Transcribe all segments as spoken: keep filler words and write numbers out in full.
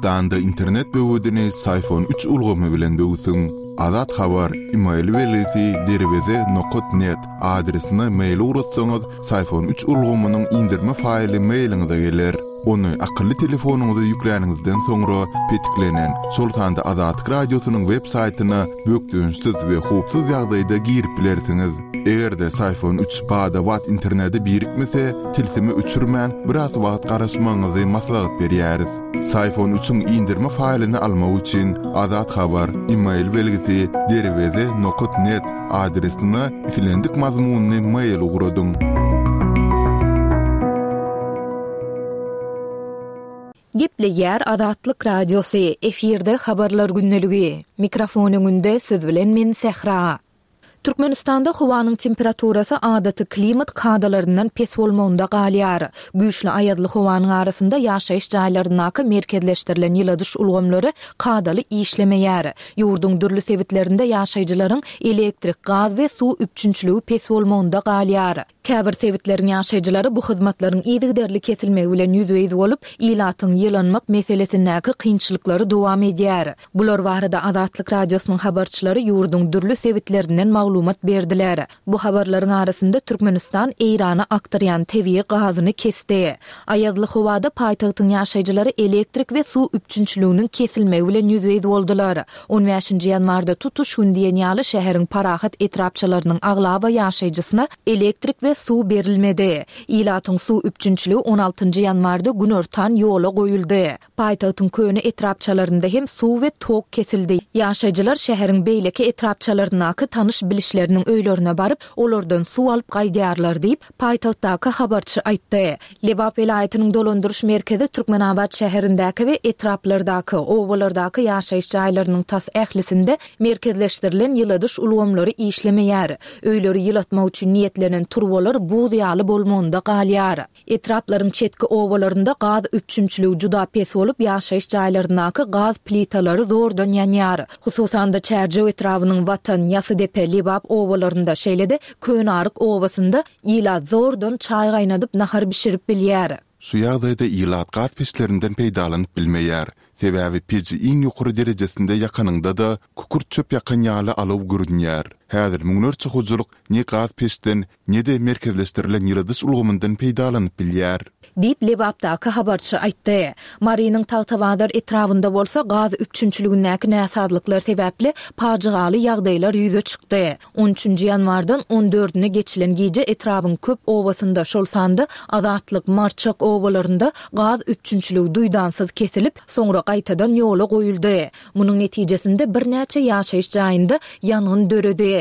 Türkmenistanda internet böwedini Syfon üç ulgamy bilen böwsüň. Azat Habar, email belgisi derweze nokat net adresine mail ugratsaňyz, Syfon üç ulgamynyň indirme faýly mailiňize geler. Ony akylly telefonyňyza ýükläniňizden soňra petiklenen, şol sanda Azatlyk Radiosynyň web saýtyna bökdençsiz we howpsuz ýagdaýda girip bilersiňiz. Eger-de Syfon üç bada-bat internete birikmese, tilsimi öçürmän biraz wagt garaşmagyňyzy maslahat berýäris. Syfon üçiň indirme faýlyny almak üçin Azat Habar, email belgisi derweze nokat net adresine islendik mazmunyny mail ugradyň. Gepleýär Azatlyk Radiosy, efirde habarlar gündeligi. Mikrofon öňünde siz bilen men Sähra. Türkmenistanda howanyň temperaturasy adaty klimat kadalaryndan pes bolmagynda galýar. Güýçli aýazly howanyň arasynda ýaşaýyş jaýlaryndaky merkezleşdirilen ýyladyş ulgamlary kadaly işlemeýär. Ýurduň dürli sebitlerinde ýaşaýjylaryň elektrik, gaz we suw üpjünçiligi pes bolmagynda galýar. Käbir sebitleriň ýaşaýjylary bu hyzmatlaryň yzygiderli kesilmegi bilen ýüzbe-ýüz bolup, ilatyň ýylanmak meselesindäki kynçylyklary dowam edýär. Bular barada Azatlyk Radiosynyň habarçylary ýurduň dürli sebitlerinden maglumat berdiler. Bu habarlaryň arasynda Türkmenistan Eýrana akdyrýan tebigy gazyny kesdi. Aýazly howada paýtagtyň ýaşaýjylary elektrik we suw üpjünçiliginiň kesilmegi bilen ýüzbe-ýüz boldular. on bäşinji ýanwarda tutuş gün diýen ýaly şäheriň parahat etrapçalarynyň aglaba ýaşaýjysyna elektrik we suw berilmedi. Ilatyň suw üpjünçiligi on altynjy ýanwarda günortan ýola goýuldy. Paýtagtyň köne etrapçalarynda hem suw we tok kesildi. Ýaşaýjylar şäheriň beýleki etrapçalaryndaky tanyş bilişleriniň öýlerine baryp, olardan suw alyp gaýdýarlar diýip, paýtagtdaky habarçy aýtdy. Lebap welaýatynyň dolandyryş merkezi Türkmenabat şäherindäki we etraplardaky, obalardaky ýaşaýyş jaýlarynyň tas ählisinde merkezleşdirilen ýyladyş ulgamlary işlemeýär. Öýleri ýylatmak üçin niýetlenen turbalar buz ýaly bolmagynda galýar. Etraplaryň çetki obalarynda gaz üpjünçiligi juda pes bolup, ýaşaýyş jaýlaryndaky gaz plitalary zordan ýanýar. Hususan-da Çärjew etrabynyň Watan, Ýasydepe, Lebap obalarynda, şeýle-de Könaryk obasynda ilat zordan çaý gaýnadyp nahar bişirip bilýär. Şu ýagdaýda ilat gaz peçlerinden peýdalanyp bilmeýär. Sebäbi peji iň ýokary derejesinde ýakanyňda-da kükürt çöp ýakan ýaly alaw görünýär. Häzir müňlerçe hojalyk ne gaz peçden, ne-de merkezleşdirilen ýyladyş ulgamyndan peýdalanyp bilýär. Diýip, Lebapdaky habarçy aýtdy. Marynyň Tagtabazar etrabynda bolsa gaz üpjünçiligindäki näsazlyklar sebäpli pajygaly ýagdaýlar ýüze çykdy. on üçünji ýanwardan on dördüne geçilen gije etrabyň köp obasynda, şol sanda Azatlyk, Marçak obalarynda gaz üpjünçiligi duýdansyz kesilip, soňra gaýtadan ýola goýuldy. Munuň netijesinde birnäçe ýaşaýyş jaýynda ýangyn döredi.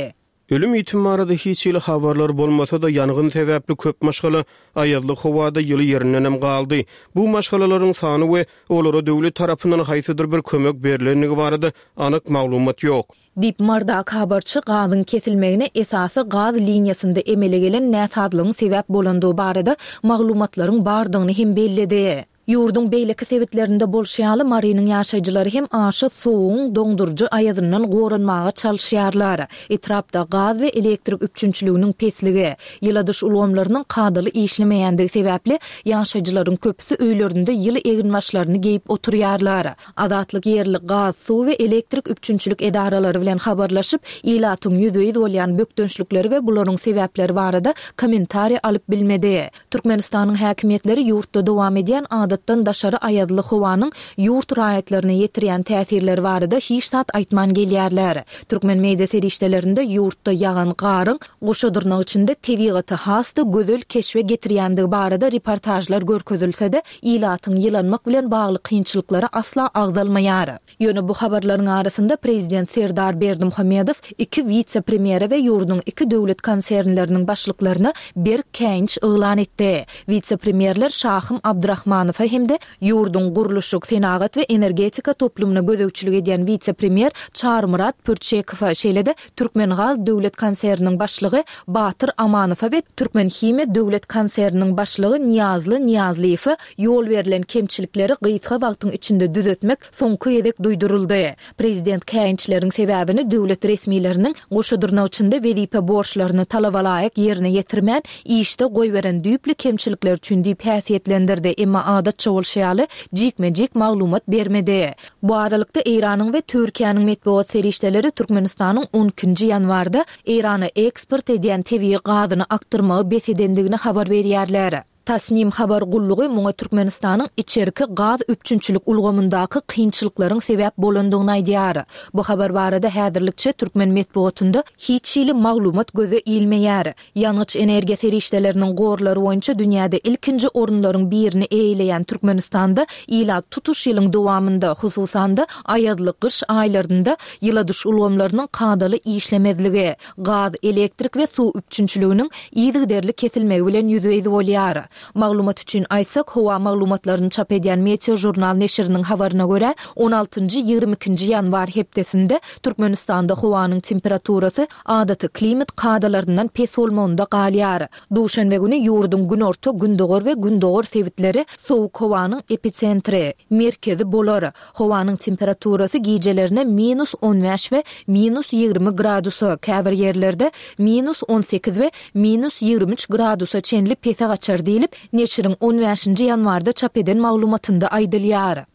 Ölüm ýitim barada hiç hili habarlar bolmasa-da, ýangyn sebäpli köp maşgala aýazly howada ýyly ýerindenem galdy. Bu maşgalalaryň sany we olara döwlet tarapyndan haýsydyr bir kömek berlendigi barada anyk maglumat ýok. Diýip, Mardaky habarçy gazyň kesilmegine esasy gaz liniýasynda emele gelen näsazlygyň sebäp bolandygy barada maglumatlaryň bardygyny hem belledi. Ýurduň beýleki sebitlerinde bolşy ýaly, Marynyň ýaşaýjylary hem aşa sowugyň doňduryjy aýazyndan goranmaga çalyşýarlar. Etrapda gaz we elektrik üpjünçiliginiň pesligi, ýyladyş ulgamlarynyň kadaly işlemeýändigi sebäpli ýaşaýjylaryň köpüsi öýlerinde ýyly eginbaşlaryny geýip oturýarlar. Azatlyk ýerli gaz, suw we elektrik üpjünçilik edaralary bilen habarlaşyp, ilatyň ýüzbe-ýüz bolýan bökdençlikleri we bularyň sebäpleri barada kommentariý alyp bilmedi. Türkmenistanyň häkimiýetleri ýurtda dowam edýän adatdan daşary aýazly howanyň ýurt raýatlaryna ýetirýän täsirleri barada hiç zat aýtman gelýärler. Türkmen media serişdelerinde ýurtda ýagan garyň goşa dyrnak içinde tebigaty has-da gözel keşbe getirýändigi barada reportažlar görkezilse-de, ilatyň ýylanmak bilen bagly kynçylyklary asla agzalmaýar. Ýöne bu habarlaryň arasynda prezident Serdar Berdimuhamedow iki wise-premýere we ýurduň iki döwlet konsernleriniň başlyklaryna berk käýinç yglan etdi. Wise-premýerler Şahym Abdurahmanowa hem-de ýurduň gurluşyk, senagat we energetika toplumyna gözegçilik edýän wise-premýer Çarymyrat Pürçekowa, şeýle-de Türkmengaz döwlet konserniniň başlygy Batyr Amanowa we Türkmenhimiýa döwlet konserniniň başlygy Nyýazly Nyýazlyýewe ýol berlen kemçilikleri gysga wagtyň içinde düzetmek soňky gezek duýduryldy. Prezident käýinçleriň sebäbini döwlet resmileriniň goşa dyrnak içinde wezipe borçlaryny talabalaýyk ýerine ýetirmän, işde goýberen düýpli kemçilikler üçin diýip häsiýetlendirdi, emma adatça Adatça bolşy ýaly, jikme-jik maglumat bermedi. Bu aralykda, Eýranyň we Türkiýäniň metbugat serişdeleri Türkmenistanyň on ikinji ýanwarda Eýrana eksport edýän tebigy gazyny akdyrmagy bes edendigini habar berýärler. Tasnim habar gullugy muňa Türkmenistanyň içerki gaz üpjünçilik ulgamyndaky kynçylyklaryň sebäp bolandygyny aýdýar. Bu habar barada häzirlikçe türkmen metbugatynda hiç hili maglumat göze ilmeýär. Ýangyç-energiýa serişdeleriniň gorlary boýunça dünýäde ilkinji orunlaryň birini eýeleýän Türkmenistanda ilat tutuş ýylyň dowamynda, hususan-da, aýazly gyş aýlarynda ýyladyş ulgamlarynyň kadaly işlemezligi, gaz, elektrik we suw üpjünçiliginiň yzygiderli kesilmegi bilen ýüzbe-ýüz bolýar. Maglumat üçin aýtsak, howa maglumatlaryny çap edýän Meteožurnal neşiriniň habaryna görä, on altynjy, ýigrimi ikinji ýanwar hepdesinde Türkmenistanda howanyň temperaturasy adaty klimat kadalaryndan pes bolmagynda galýar. Duşenbe güni ýurduň günorta, gündogar we gündogar sebitleri sowuk howanyň episentri, merkezi, bolar. Howanyň temperaturasy gijelerine minus on bäş we minus ýigrimi gradusa, käbir ýerlerde minus on sekiz we minus ýigrimi üç gradusa çenli pese gaçar diýlip, neşiriň on bäşinji ýanwarda çap eden maglumatynda aýdylýar.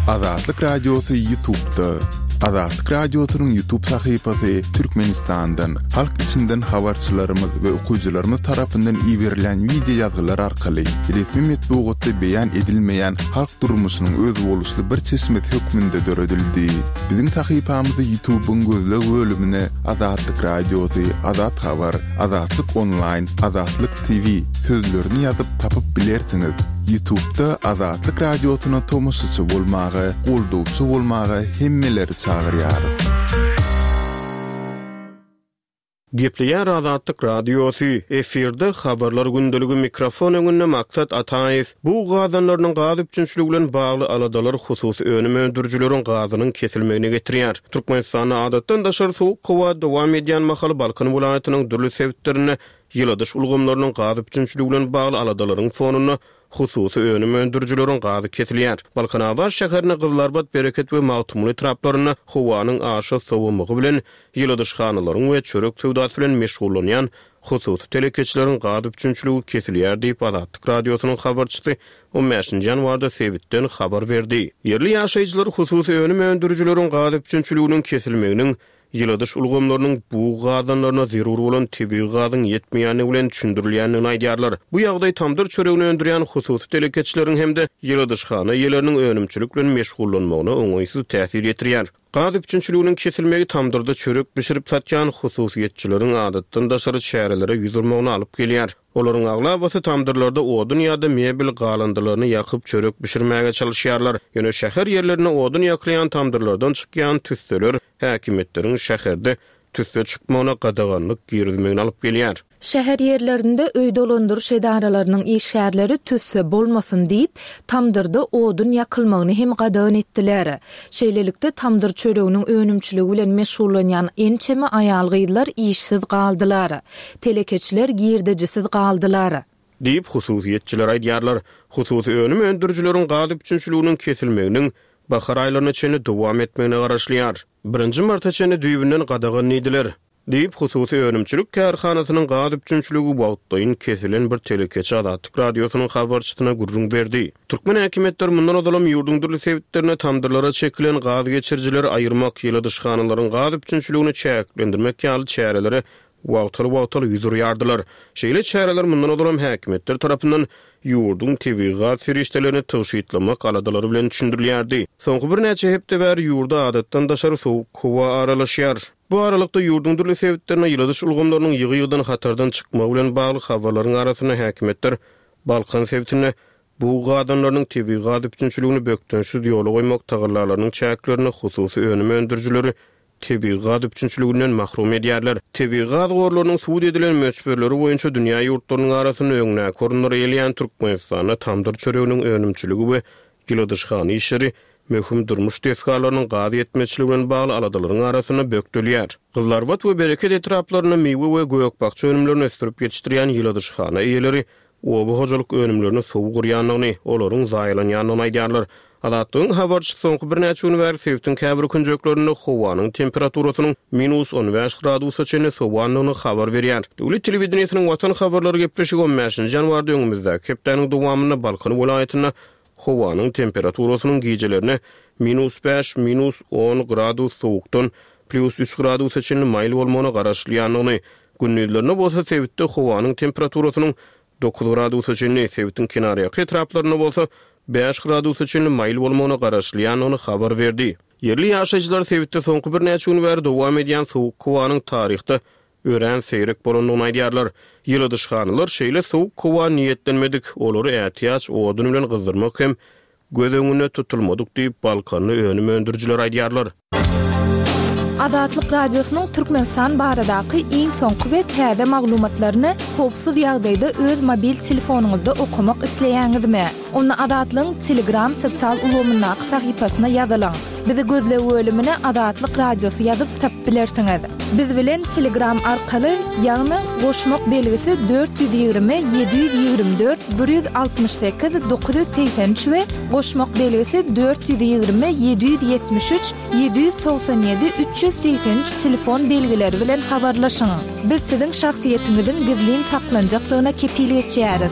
Azatlyk Radiosy YouTube'da. Azatlyk Radiosynyň YouTube sahypasy Türkmenistandan, halk içinden habarçylarymyz we okyjylarymyz tarapyndan iberilen wideo ýazgylar arkaly resmi metbugatda beýan edilmeýän halk durmuşynyň özboluşly bir çeşmesi hökmünde döredildi. Biziň sahypamyzy YouTube'yň gözleg bölümine Azatlyk Radiosy, Azat Habar, Azatlyk Online, Azatlyk T V sözlerini ýazyp tapyp bilersiňiz. YouTube'da Azatlyk Radiosyna tomaşaçy bolmaga, goldawçy bolmaga hemmeleri çagyrýarys. Gepleýär Azatlyk Radiosy, efirde habarlar gündeligi mikrofon öňünde Maksat Ataýew. Bu gazanlarynyň gaz üpjünçiligi bilen bagly aladalar hususy önüm öndürijileriň gazynyň kesilmegine getirýär. Türkmenistanda adatdan daşary sowuk howa dowam edýän mahaly Balkan welaýatynyň dürli sebitlerinde ýyladyş ulgamlarynyň gaz üpjünçiligi bilen bagly aladalaryň fonunda hususy önüm öndürijileriň gazy kesilýär. Balkanabat şäherinde Gyzlarbat, Bereket we Magtymguly etraplarynda howanyň aşa sowamagy bilen ýyladyşhanalaryň we çörek söwdasy bilen meşgullanýan hususy telekeçileriň gaz üpjünçiligi kesilýär diýip Azatlyk Radiosynyň habarçysy on bäşinji ýanwarda sebitden habar berdi. Ýerli ýaşaýjylar hususy önüm öndürijileriň gaz üpjünçiliginiň kesilmeginiň ýyladyş ulgamlarynyň bug gazanlaryna zerur bolan tebigy gazyň ýetmeýändigi bilen düşündirilýändigini aýdýarlar. Bu ýagdaý tamdyr çöregini öndürýän hususy telekeçileriň hem-de ýyladyşhana eýeleriniň önümçilik bilen meşgullanmagyna oňaýsyz täsir ýetirýär. Gaz üpjünçiliginiň kesilmegi tamdyrda çörek bişirip satýan hususyýetçileriň adatdan daşary çärelere ýüz urmagyny alyp gelýär. Olaryň aglabasy tamdyrlarda odun ýa-da mebel galyndylaryny ýakyp çörek bişirmäge çalışýarlar. Ýöne şäher ýerlerinde odun ýakylýan tamdyrlardan çykýan tüsseler häkimiýetleriň şäherde tüsse çykmagyna gadaganlyk girizmegini alyp gelýär. Şäher ýerlerinde öý dolandyryş edaralarynyň işgärleri tüsse bolmasyn diýip, tamdyrda odun ýakylmagyny hem gadagan etdiler. Şeýlelikde tamdyr çöreginiň önümçiligi bilen meşgullanýan ençeme aýal-gyzlar işsiz galdylar. Telekeçiler girdejisiz galdylar. Diýip hususyýetçiler aýdýarlar. Hususy önüm öndürijileriň gaz üpjünçiliginiň kesilmeginiň bahar aýlaryna çenli dowam etmegine garaşylýar. Birinji marta çenli düýbünden gadagan diýdiler. Diýip hususy önümçilik kärhanasynyň gaz üpjünçiligi wagtlaýyn kesilen bir telekeçi Azatlyk Radiosynyň habarçysyna gürrüň berdi. Türkmen häkimiýetleri mundan ozalam ýurduň dürli sebitlerine tamdyrlara çekilen gaz geçirijileri aýyrmak, ýyladyşhanalaryň gaz üpjünçiligini çäklendirmek ýaly çärelere wagtal-wagtal ýüz urýardylar. Şeýle çäreler mundan ozalam häkimiýetler tarapyndan ýurduň tebigy gaz serişdelerini tygşytlamak aladalary bilen düşündirilýärdi. Soňky birnäçe hepde bäri ýurda adatdan daşary sowuk howa aralaşýar. Bu aralykda ýurduň dürli sebitlerine ýyladyş ulgamlarynyň ýygy-ýygydan hatardan çykmagy bilen bagly habarlaryň arasynda häkimiýetler Balkan sebitinde bu gazanlarynyň tebigy gaz üpjünçiligini bökdençsiz ýola goýmak tagallalarynyň çäklerinde hususy önüm öndürijileri tebigy gaz üpjünçiliginden mahrum edýärler. Tebigy gaz gorlarynyň subut edilen möçberleri boýunça dünýä ýurtlarynyň arasynda öňdäki orunlary eýeleýän Türkmenistanda tamdyr çöreginiň önümçiligi we ýyladyşhana işleri möhüm durmuş desgalarynyň gaz ýetmezçiligi bilen bagly aladalaryň arasynda bökdelýär. Gyzlarbat we Bereket etraplarynda miwe we gök-bakja önümlerini ösdürip ýetişdirýän ýyladyşhana eýeleri oba hojalyk önümlerini sowuk urýandygyny, olaryň zaýalanýandygyny aýdýarlar. Azatlygyň habarçysy soňky birnäçe gün bäri sebitiň käbir künjeklerinde howanyň temperaturasynyň minus on bäş gradusa çenli sowandygyny habar berýär. Döwlet telewideniýesiniň Watan habarlary gepleşigi on bäşinji ýanwarda öňümizdäki hepdäniň dowamynda Balkan welaýatynda howanyň temperaturasynyň gijelerine minus bäş, minus on gradus sowukdan plus üç gradusa çenli maýyl bolmagyna garaşylýandygyny, gündizlerine bolsa sebitde howanyň temperaturasynyň dokuz gradusa çenli, sebitiň kenarýaka etraplarynda bolsa bäş gradusa çenli maýyl bolmagyna garaşylýandygyny habar berdi. Ýerli ýaşaýjylar sebitde soňky birnäçe gün bäri dowam edýän sowuk howanyň taryhda örän seýrek bolandygyny aýdýarlar. Ýyladyşhanalar şeýle sowuk howa niýetlenmedik, olary ätiýaç odun bilen gyzdyrmak hem göz öňünde tutulmadyk diýip Balkanly önüm öndürijiler aýdýarlar. Azatlyk Radiosynyň Türkmenistan baradaky iň soňky we täze maglumatlaryny howpsuz ýagdaýda öz mobil telefonyňyzda okamak isleýäňizmi? Onda Azatlygyň Telegram sosial ulgamyndaky sahypasyna ýazylyň. Bizi gözleg bölümine Azatlyk Radiosy ýazyp tapyp bilersiňiz. Biz bilen Telegram arkaly, ýagny goşmak belgisi dört ýüz ýigrimi, ýedi ýüz ýigrimi dört, bir ýüz altmyş sekiz, dokuz ýüz segsen üç we goşmak belgisi dört ýüz ýigrimi, ýedi ýüz ýetmiş üç, ýedi ýüz togsan ýedi, üç ýüz segsen üç telefon belgileri bilen habarlaşyň. Biz siziň şahsyýetiňiziň gizlin saklanjakdygyna kepil geçýäris.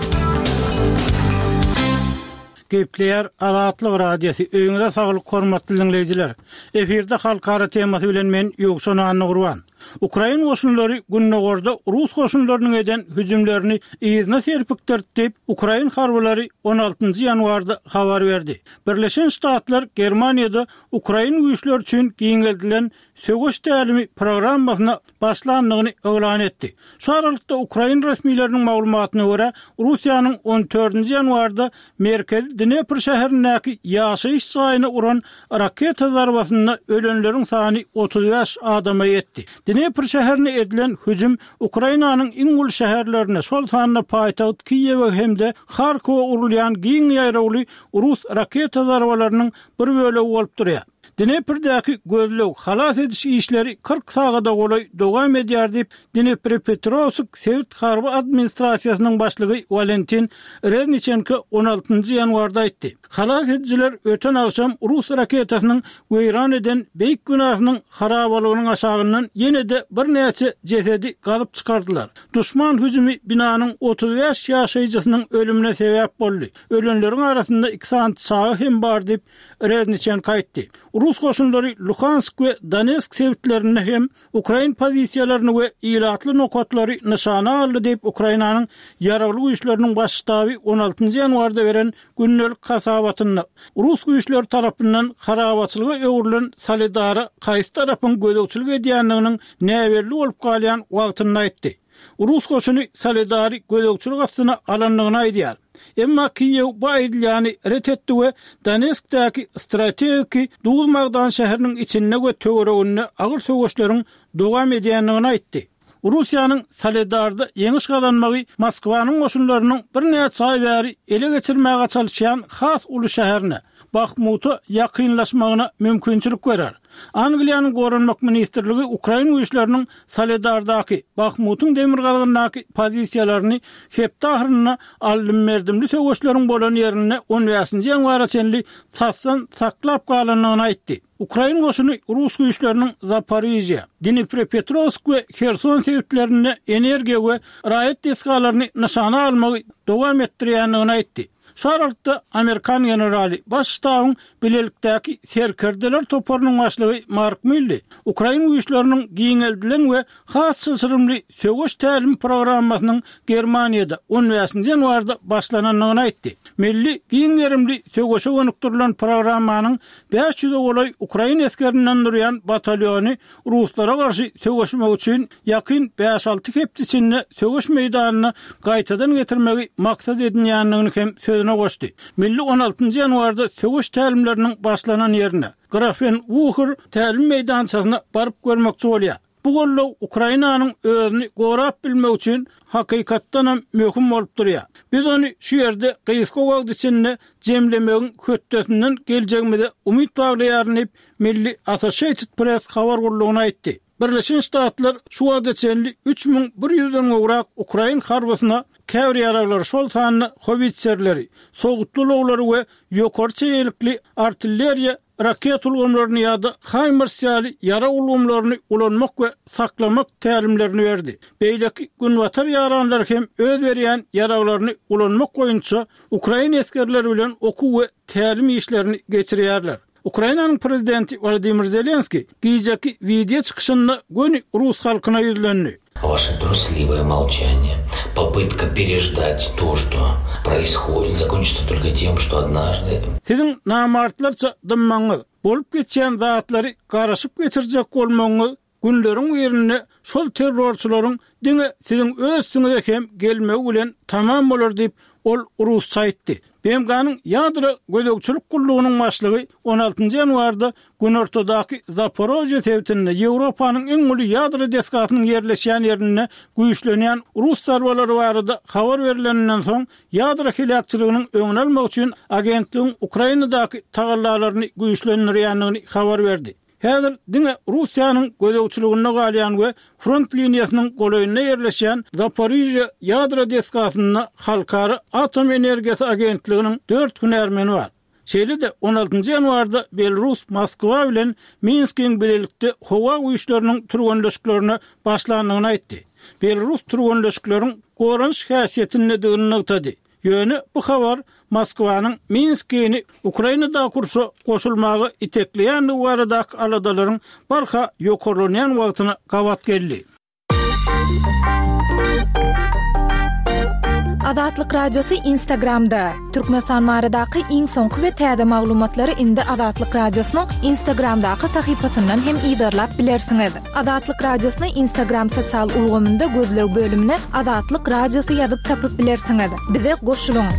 Gepleýär Azatlyk Radiosy. Öýüňize saglyk hormatly dinleýjiler. Efirde halkara temasy bilen men Ýowşan Annagurban. Ukrain goşunlary Gündogarda Rus goşunlarynyň eden hüjümlerini yzyna serpikdirdi diýip, Ukrain harbylary on altynjy ýanwarda habar berdi. Birleşen Ştatlar Germaniýada Ukrain güýçleri üçin giňeldilen söweş tälimi programmasyna başlandygyny yglan etdi. Şu aralykda Ukrain resmileriniň maglumatyna görä, Russiýanyň on dördünji ýanwarda merkezi Dnepr şäherindäki ýaşaýyş jaýyna uran raketa zarbasynda ölenleriň sany otuz bäş adama ýetdi. Dnepr şäherine edilen hüjüm Ukrainanyň iň uly şäherlerine, şol sanda paýtagt Kiýewe hem-de Harkowa urulýan giň ýaýrawly Rus raketa zarbalarynyň bir bölegi bolup durýar. Dneprdäki gözleg halas ediş işleri kyrk sagada golaý dowam edýär diýip, Dnepropetrowsk sebit harby administrasiýasynyň başlygy Walentin Rezniçenko on altynjy ýanwarda aýtdy. Halas edijiler öten agşam Rus raketasynyň weýran eden beýik binasynyň harabalygynyň aşagyndan ýene-de birnäçe jesedi gazyp çykardylar. Duşman hüjümi binanyň otuz bäş ýaşaýjysynyň ölümine sebäp boldy. Ölenleriň arasynda iki sany çaga hem bar diýip, Rezniçenko aýtdy. Rus goşunlary Luhansk we Donetsk sebitlerinde hem Ukrain pozisiýalaryny we ilatly nokatlary nyşana aldy diýip, Ukrainanyň ýaragly güýçleriniň baş ştaby on altynjy ýanwarda beren gündelik hasabatynda Rus güýçleri tarapyndan harabaçylyga öwrülen Soledara haýsy tarapyň gözegçilik edýändiginiň näbelli bolup galýan wagtynda aýtdy. Rus goşuny Soledary gözegçilik astyna alandygyny aýdýar. Emma Kiýew bu aýdylýany ret etdi we Donetskdäki strategiki Duz magdan şäheriniň içinde we töwereginde agyr söweşleriň dowam edýändigini aýtdy. Russiýanyň Soledarda ýeňiş gazanmagy Moskwanyň goşunlarynyň birnäçe aý bäri ele geçirmäge çalyşýan has uly şäherine, Bahmuta ýakynlaşmagyna mümkinçilik berer. Angliýanyň Goranmak ministrligi Ukrain güýçleriniň Soledardaky, Bahmutyň demirgazygyndaky pozisiýalaryny hepde ahyrynda aldym-berdimli söweşleriň bolan ýerinde on bäşinji ýanwara çenli tasdan saklap galandygyny aýtdy. Ukrain goşuny Rus güýçleriniň Zaporižýa, Dnipropetrowsk we Herson sebitlerinde energiýa we raýat desgalaryny nyşana almagy dowam etdirýändigini aýtdy. Şu aralykda Amerikan generaly baş ştabyň bilelikdäki serkerdeler toparynyň başlygy Mark Milli Ukrain güýçleriniň giňeldilen we has çylşyrymly söweş tälim programmasynyň Germaniýada on bäşinji ýanwarda başlanandygyny aýtdy. Milli giň gerimli söweşe gönükdirilen programmanyň bäş ýüze golaý ukrain esgerinden durýan batalýony ruslara garşy söweşmek üçin ýakyn bäş-alty hepde içinde söweş meýdanyna gaýtadan getirmegi maksat edinýändigini hem sözüne goşdy. Milli on altynjy ýanwarda söweş tälimleriniň başlanan ýerine, Grafenwuhr tälim meýdançasyna baryp görmekçi bolýar. Bu goldaw Ukrainanyň özüni gorap bilmek üçin hakykatdanam möhüm bolup durýar. Biz ony şu ýerde gysga wagt içinde jemlemegiň hötdesinden geljegimize umyt baglaýaryn diýip, Milli Associated Press habar gullugyna aýtdy. Birleşen Ştatlar şu wagta çenli üç müň bir ýüzden gowrak ukrain harbysyna käbir ýaraglary, şol sanda howitserleri, sowutly ulaglary we ýokary çeýelikli artilleriýa raket ulgamlaryny ýa-da HIMARS ýaly ýarag ulgamlaryny ulanmak we saklamak tälimlerini berdi. Beýleki günbatar ýaranlary hem öz berýän ýaraglaryny ulanmak boýunça ukrain esgerleri bilen okuw we tälim işlerini geçirýärler. Ukrainanyň prezidenti Wolodymyr Zelenskiý gijeki wideo çykyşynda göni rus halkyna ýüzlendi. Ваше трусливое молчание, попытка переждать то, что происходит, закончится только тем, что однажды... Siziň namartlarça dymmagyňyz, bolup geçýän zatlary garaşyp geçirjek bolmagyňyz günleriň birinde şol terrorçylaryň diňe siziň öz üstüňize hem gelmegi bilen tamam bolar diýip, ol rusça aýtdy. B M G-nyň ýadro gözegçilik gullugynyň başlygy on altynjy ýanwarda günortadaky Zaporožýe sebitinde Ýewropanyň iň uly ýadro desgasynyň ýerleşýän ýerinde güýçlenýän rus zarbalary barada habar berileninden soň ýadro heläkçiliginiň öňüni almak üçin agentligiň Ukrainadaky tagallalaryny güýçlendirýändigini habar berdi. Häzir diňe Russiýanyň gözegçiliginde galýan we front liniýasynyň golaýynda ýerleşýän Zaporižýe ýadro desgasynda Halkara atom energiýasy agentliginiň dört hünärmeni bar. Şeýle-de on altynjy ýanwarda Belarus Moskwa bilen Minskiň bilelikde howa güýçleriniň türgenleşiklerine başlandygyny aýtdy. Belarus türgenleşikleriň goranyş häsiýetindedigini nygtady. Ýöne bu habar Moskwanyň Minskini Ukrainadaky urşa goşulmaga itekleýändigi baradaky aladalaryň barha ýokarlanýan wagtyna gabat geldi. Azatlyk Radiosy Instagramda. Türkmenistan baradaky iň soňky we täze maglumatlary indi Azatlyk Radiosynyň Instagramdaky sahypasyndan hem yzarlap bilersiňiz. Azatlyk Radiosyny Instagram sosial ulgamynda gözleg bölümine Azatlyk Radiosy ýazyp tapyp bilersiňiz. Bize goşulyň.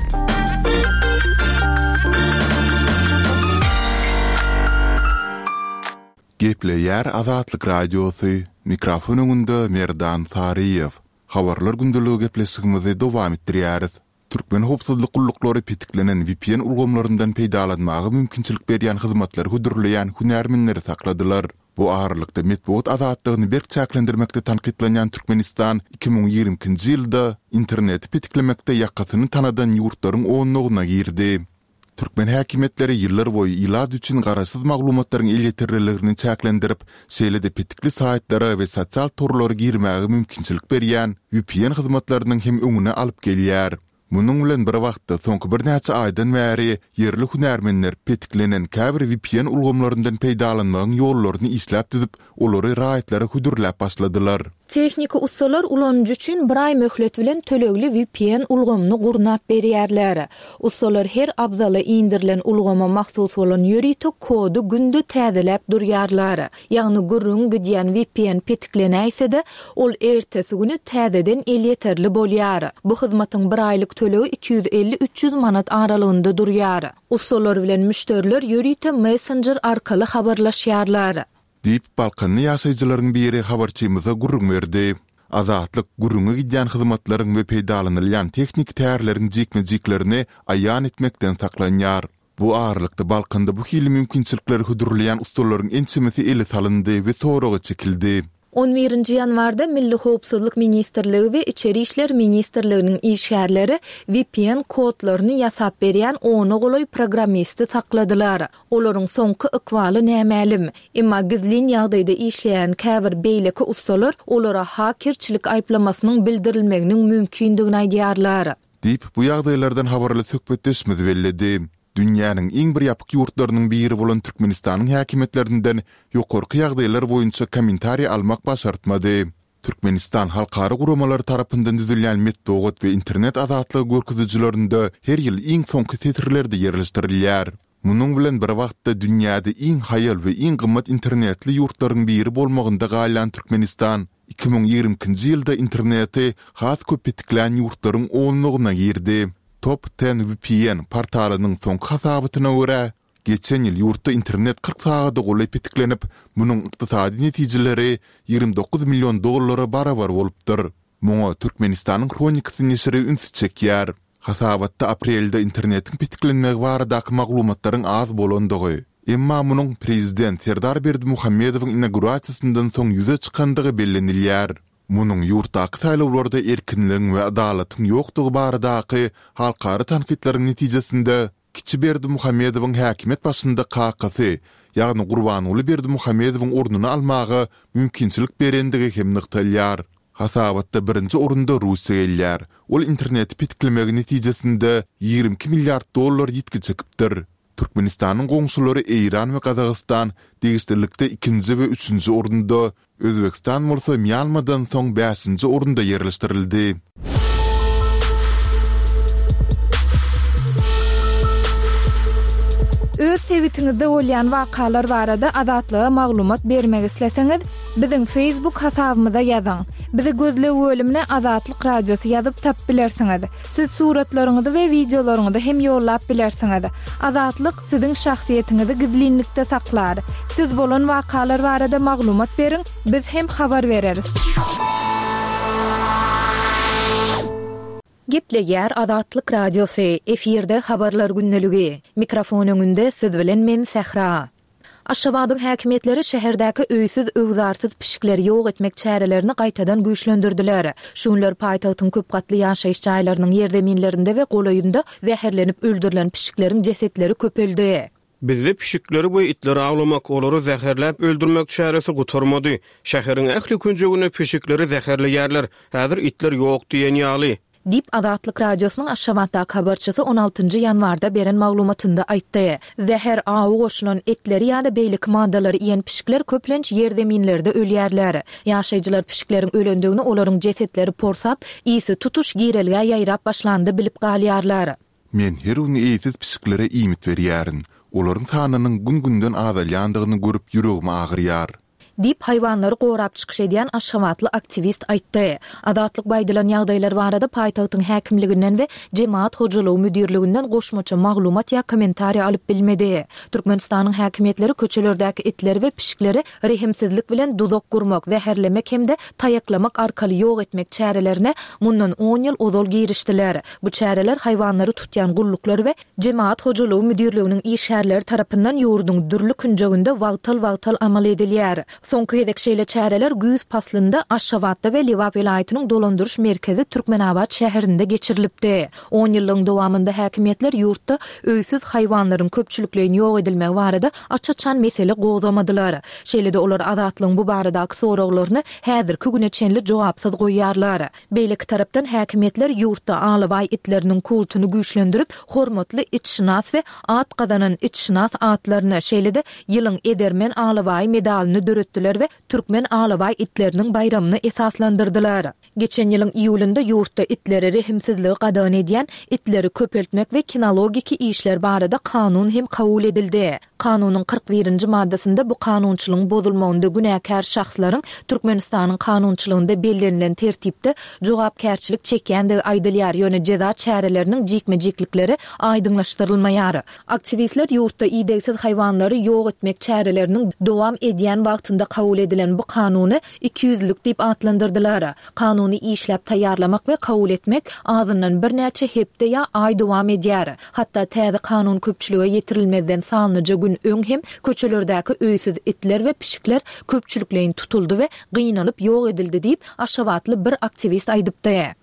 Gepleýär Azatlyk Radiosy, mikrofon öňünde Merdan Saryýew. Habarlar gündeligi gepleşigimizi dowam etdirýäris. Türkmen howpsuzlyk gulluklary petiklenen V P N ulgamlaryndan peýdalanmaga mümkinçilik berýän hyzmatlary hödürleýän hünärmenleri sakladylar. Bu aralykda metbugat azatlygyny berk çäklendirmekde tankytlanýan Türkmenistan iki müň ýigrimi ikinji ýylda interneti petiklemekde ýakasyny tanadan ýurtlaryň onlugyna girdi. Türkmen häkimiýetleri ýyllar boýy ilat üçin garaşsyz maglumatlaryň elýeterliligini çäklendirip, şeýle-de petikli saýtlara we sosial torlara girmäge mümkinçilik berýän V P N hyzmatlarynyň hem öňüni alyp gelýär. Munuň bilen bir wagtda soňky birnäçe aýdan bäri ýerli hünärmenler petiklenen käbir V P N ulgamlaryndan peýdalanmagyň ýollaryny işläp düzüp, olary raýatlara hödürläp başladylar. Tehniki ussalar ulanyjy üçin bir aý möhlet bilen tölegli V P N ulgamyny gurnap berýärler. Ussalar her abzala indirilen ulgama mahsus bolan ýörite kody günde täzeläp durýarlar. Ýagny gürrüň gidýän V P N petiklenäýse-de, ol ertesi güni täzeden elýeterli bolýar. Bu hyzmatyň bir aýlyk tölegi iki ýüz elli-üç ýüz manat aralygynda durýar. Ussalar bilen müşderiler ýörite messenger arkaly habarlaşýarlar. Diýip, Balkanly ýaşaýjylaryň biri habarçymyza gürrüň berdi. Azatlyk gürrüňi gidýän hyzmatlaryň we peýdalanylýan tehniki tärleriň jikme-jiklerini aýan etmekden saklanýar. Bu aralykda Balkanda bu hili mümkinçilikleri hödürleýän ussalaryň ençemesi ele salyndy we soraga çekildi. on birinji ýanwarda Milli Howpsuzlyk Ministrligi we Içeri işler ministrliginiň işgärleri V P N kodlaryny ýasap berýän ona golaý programmisti sakladylar. Olaryň soňky ykbaly nämälim. Emma gizlin ýagdaýda işleýän käbir beýleki ussalar olara hakerçilik aýyplamasynyň bildirilmeginiň mümkindigini aýdýarlar. Diýip, bu ýagdaýlardan habarly söhbetdeşimiz belledi. Dünýäniň iň bir ýapyk ýurtlarynyň biri bolan Türkmenistanyň häkimiýetlerinden ýokarky ýagdaýlar boýunça kommentariý almak başartmady. Türkmenistan halkara guramalary tarapyndan düzülýän metbugat we internet azatlygy görkezijilerinde her ýyl iň soňky setirlerde ýerleşdirilýär. Munuň bilen bir wagtda dünýäde iň haýal we iň gymmat internetli ýurtlaryň biri bolmagynda galýan Türkmenistan iki müň ýigrimi ikinji ýylda interneti has köp petiklän ýurtlaryň onlugyna girdi. Top on V P N portalynyň soňky hasabatyna görä, geçen ýyl ýurtda internet kyrk sagada golaý petiklenip, munuň ykdysady netijeleri ýigrimi dokuz million dollara barabar bolupdyr. Muňa Türkmenistanyň Hronikasy neşiri ünsi çekýär. Hasabatda aprelde internetiň petiklenmegi baradaky maglumatlaryň az bolandygy, emma munuň prezident Serdar Berdimuhamedowyň inaugurasiýasyndan soň ýüze çykandygy bellenilýär. Munuň ýurtdaky saýlawlarda erkinligiň we adalatyň ýokdugy baradaky halkara tankytlaryň netijesinde kiçi Berdimuhamedowyň häkimiýet başynda kakasy, ýagny Gurbanguly Berdimuhamedowyň ornuny almaga mümkinçilik berendigi hem nygtalýar. Hasabatda birinji orunda Russiýa gelýär. Ol interneti petiklemegi netijesinde ýigrimi iki milliard dollar ýitgi çekipdir. Türkmenistanyň goňşulary Eýran we Gazagystan degişlilikde ikinji we üçünji orunda, Özbegistan bolsa Mýanmadan soň bäşinji orunda ýerleşdirildi. Öz sebitiňizde bolýan wakalar barada Azatlyga maglumat bermek isleseňiz, biziň Facebook hasabymyza ýazyň. Bizi gözleg bölümine Azatlyk Radiosy ýazyp tapyp bilersiňiz. Siz suratlaryňyzy we wideolaryňyzy hem ýollap bilersiňiz. Azatlyk siziň şahsyýetiňizi gizlinlikde saklar. Siz bolan wakalar barada maglumat beriň, biz hem habar bereris. Gepleýär Azatlyk Radiosy, efirde Habarlar gündeligi. Mikrofon öňünde siz bilen men Sähra. Aşgabadyň häkimiýetleri şäherdäki öýsüz-öwzarsyz pişikleri ýok etmek çärelerini gaýtadan güýçlendirdiler. Şu günler paýtagtyň köp gatly ýaşaýyş jaýlarynyň ýerzeminlerinde we golaýynda zäherlenip öldürilen pişikleriň jesetleri köpeldi. Bizde pişikleri we itleri awlamak, olary zäherläp öldürmek çäresi gutarmady. Şäheriň ähli künjeginde pişikleri zäherleýärler. Häzir itler ýok diýen ýaly. Diýip, Azatlyk Radiosynyň Aşgabatdaky habarçysy on altynjy ýanwarda beren maglumatynda aýtdy. Zäher, awy goşulan etleri ýa-da beýleki maddalary iýen pişikler köplenç ýerzeminlerde ölýärler. Ýaşaýjylar pişikleriň ölendigini olaryň jesetleri porsap, ysy tutuş girelgä ýaýrap başlanda bilip galýarlar. Men her gün eýesiz pişiklere iýmit berýärin. Olaryň sanynyň gün-günden azalýandygyny görüp ýüregim agyrýar. Diýip, haýwanlary gorap çykyş edýän aşgabatly aktiwist aýtdy. Azatlyk bu aýdylan ýagdaýlar barada paýtagtyň häkimliginden we Jemagat hojalygy müdirliginden goşmaça maglumat ýa kommentariý alyp bilmedi. Türkmenistanyň häkimiýetleri köçelerdäki itleri we pişikleri rehimsizlik bilen duzak gurmak, zäherlemek hem-de taýaklamak arkaly ýok etmek çärelerine mundan on ýyl ozal girişdiler. Bu çäreler haýwanlary tutýan gulluklar we Jemagat hojalygy müdirliginiň işgärleri tarapyndan ýurduň dürli künjeginde wagtal-wagtal amal edilýär. Soňky gezek şeýle çäreler güýz paslynda Aşgabatda we Lebap welaýatynyň dolandyryş merkezi Türkmenabat şäherinde geçirilipdi. On ýyllygyň dowamynda häkimiýetler ýurtda öýsüz haýwanlaryň köpçülikleýin ýok edilmegi barada aç-açan mesele gozgamadylar. Şeýle-de olar Azatlygyň bu baradaky soraglaryny häzirki güne çenli jogapsyz goýýarlar. Beýleki tarapdan häkimiýetler ýurtda alabaý itleriniň kultuny güýçlendirip, hormatly itşynas we at gazanan itşynas atlaryny, şeýle-de ýylyň edermen alabaýy medalyny döretdiler we türkmen alabaý itleriniň baýramyny esaslandyrdylar. Geçen ýylyň iýulynda ýurtda itlere rehimsizligi gadagan edýän itleri köpeltmek we kinologiki işler barada kanun hem kabul edildi. Kanunyň kyrk birinji maddasynda bu kanunçylygyň bozulmagynda günäkär şahslaryň Türkmenistanyň kanunçylygynda bellenilen tertipde jogapkärçilik çekýändigi aýdylýar, ýöne jeza çäreleriniň jikme-jiklikleri aýdyňlaşdyrylmaýar. Aktiwistler ýurtda idegsiz haýwanlary ýok etmek çäreleriniň dowam edýän wagtynda kabul edilen bu kanuny ikiýüzlülik diýip atlandyrdylar. Kanuny işläp taýýarlamak we kabul etmek azyndan birnäçe hepde ýa aý dowam edýär. Hatda täze kanun köpçülige ýetirilmezden sanlyja gün öň hem köçelerdäki öýsüz itler we pişikler köpçülikleýin tutuldy we gynalyp ýok edildi diýip, aşgabatly bir aktiwist aýdypdy.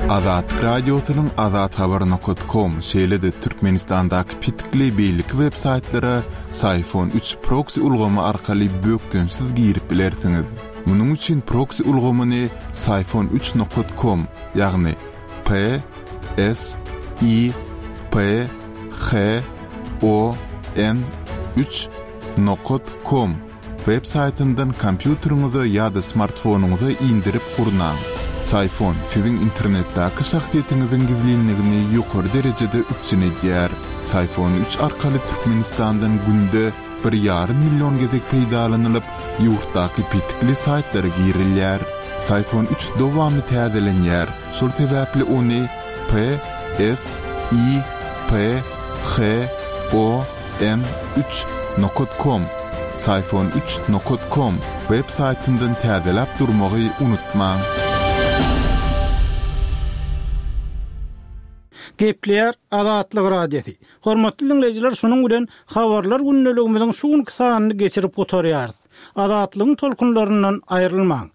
Azatlyk Radiosynyň azathabar nokat kom, şeýle-de Türkmenistandaky petikli beýleki web saýtlara Syfon üç proksi ulgamy arkaly bökdençsiz girip bilersiňiz. Munuň üçin proksi ulgamyny Syfon üç nokat kom, ýagny P S I P H O N üç nokat kom web saýtyndan kompýuteriňize ýa-da smartfonyňyza indirip gurnaň. Syfon siziň internetdäki şahsyýetiňiziň gizlinligini ýokary derejede üpjün edýär. Syfon üç arkaly Türkmenistandan günde bir ýarym million gezek peýdalanylyp, ýurtdaky petikli saýtlara girilýär. Syfon üç dowamly täzelenýär, şol sebäpli ony P S I P H O N üç nokat kom, Syfon üç nokat kom web saýtyndan täzeläp durmagy unutmaň. Gepleýär Azatlyk Radiosy. Hormatly diňleýjiler, şunuň bilen habarlar gündeligimiziň şu günki sanyny geçirip gutarýarys. Azatlygyň tolkunlaryndan aýrylmaň.